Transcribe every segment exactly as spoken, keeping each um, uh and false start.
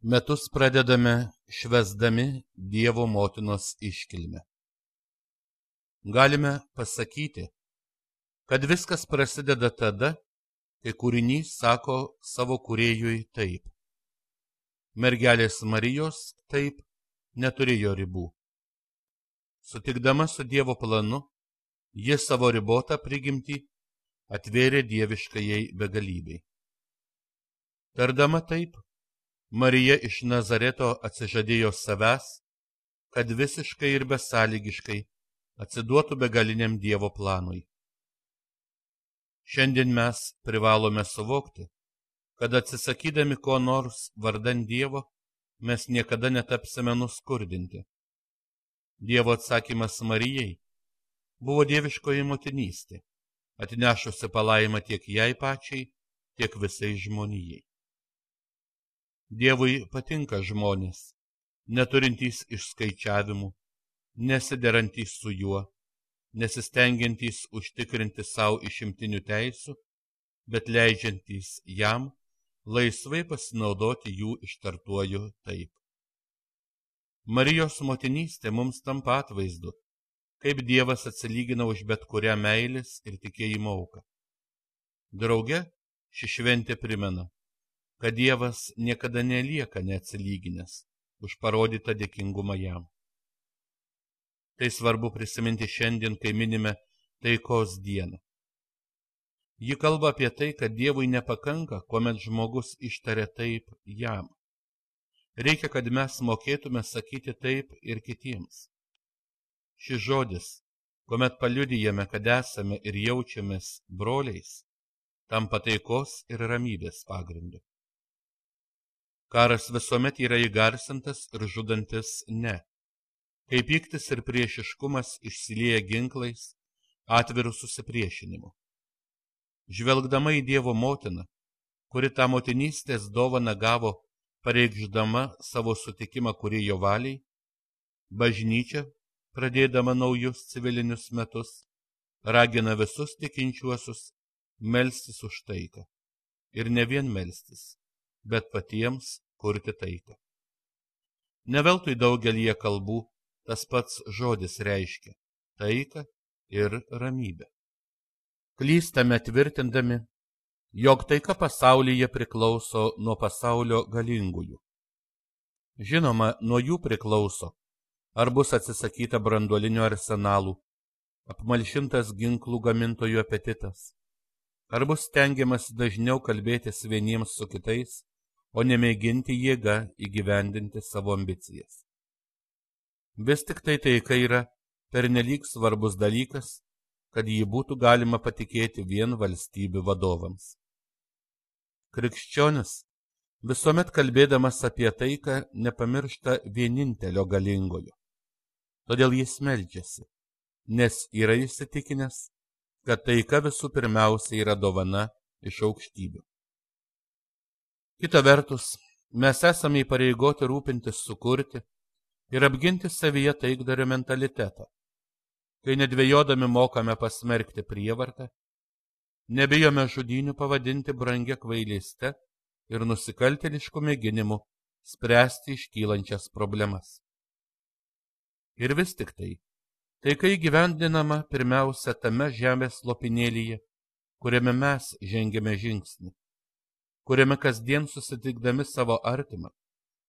Metus pradedame švęsdami Dievo motinos iškilmę. Galime pasakyti, kad viskas prasideda tada, kai kūrinys sako savo kūrėjui taip. Mergelės Marijos taip neturėjo ribų. Sutikdama su Dievo planu, ji savo ribotą prigimtį atvėrė dieviškajai begalybei. Tardama taip, Marija iš Nazareto atsižadėjo savęs, kad visiškai ir besąlygiškai atsiduotų begaliniam Dievo planui. Šiandien mes privalome suvokti, kad atsisakydami ko nors vardan Dievo, mes niekada netapsime nuskurdinti. Dievo atsakymas Marijai buvo dieviškoji motinystė, atnešusi palaimą tiek jai pačiai, tiek visai žmonijai. Dievui patinka žmonės, neturintys išskaičiavimų, nesiderantys su juo, nesistengiantys užtikrinti savo išimtinių teisių, bet leidžiantys jam laisvai pasinaudoti jų ištartuoju taip. Marijos motinystė mums tampa atvaizdu, kaip Dievas atsilygina už bet kurią meilės ir tikėjimo auką. Drauge ši šventė primena, kad Dievas niekada nelieka neatsilyginęs už parodytą dėkingumą jam. Tai svarbu prisiminti šiandien, kai minime taikos dieną. Ji kalba apie tai, kad Dievui nepakanka, kuomet žmogus ištaria taip jam. Reikia, kad mes mokėtume sakyti taip ir kitiems. Šis žodis, kuomet paliudijame, kad esame ir jaučiamės broliais, tampa taikos ir ramybės pagrindu. Karas visuomet yra įgarsintas ir žudantis ne, kai pyktis ir priešiškumas išsilieja ginklais, atvirų susipriešinimu. Žvelgdama į Dievo motiną, kuri tą motinystės dovaną gavo pareikšdama savo sutikimą kūrėjo valiai, bažnyčia, pradėdama naujus civilinius metus, ragina visus tikinčiuosius melstis už taiką. Ir ne vien melstis, bet patiems kurti taiką. Ne veltui daugelyje kalbų tas pats žodis reiškia taiką ir ramybę. Klystame tvirtindami, jog taika pasaulyje priklauso nuo pasaulio galingųjų. Žinoma, nuo jų priklauso, ar bus atsisakyta branduolinių arsenalų, apmalšintas ginklų gamintojų apetitas, ar bus stengiamas dažniau kalbėtis vieniems su kitais, o nemėginti jėga įgyvendinti savo ambicijas. Vis tik tai taika yra pernelyg svarbus dalykas, kad jį būtų galima patikėti vien valstybių vadovams. Krikščionis, visuomet kalbėdamas apie taiką, nepamiršta vienintelio galingojo. Todėl jis meldžiasi, nes yra įsitikinęs, kad taika visų pirmiausia yra dovana iš aukštybių. Kita vertus, mes esame įpareigoti rūpintis sukurti ir apginti savyje taikdario mentalitetą, kai nedvejodami mokame pasmerkti prievartą, nebijome žudynių pavadinti brangia kvailystę ir nusikaltėlišku mėginimu spręsti iškylančias problemas. Ir vis tik tai, taika įgyvendinama pirmiausia tame žemės lopinėlyje, kuriame mes žengėme žingsnį, kuriame kasdien susitikdami savo artimą,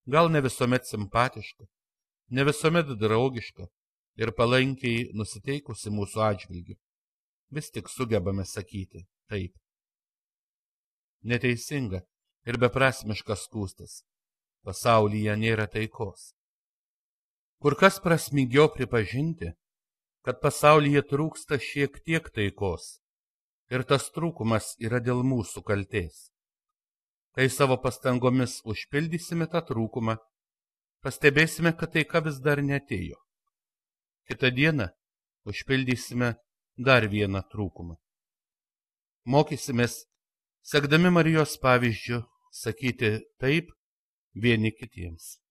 gal ne visuomet simpatišką, ne visuomet draugišką ir palankiai nusiteikusi mūsų atžvilgiu, vis tik sugebame sakyti taip. Neteisinga ir beprasmiška skųstis, pasaulyje nėra taikos. Kur kas prasmingiau pripažinti, kad pasaulyje trūksta šiek tiek taikos ir tas trūkumas yra dėl mūsų kaltės. Kai savo pastangomis užpildysime tą trūkumą, pastebėsime, kad taika vis dar neatėjo. Kitą dieną užpildysime dar vieną trūkumą. Mokysimės, sekdami Marijos pavyzdžiu, sakyti taip vieni kitiems.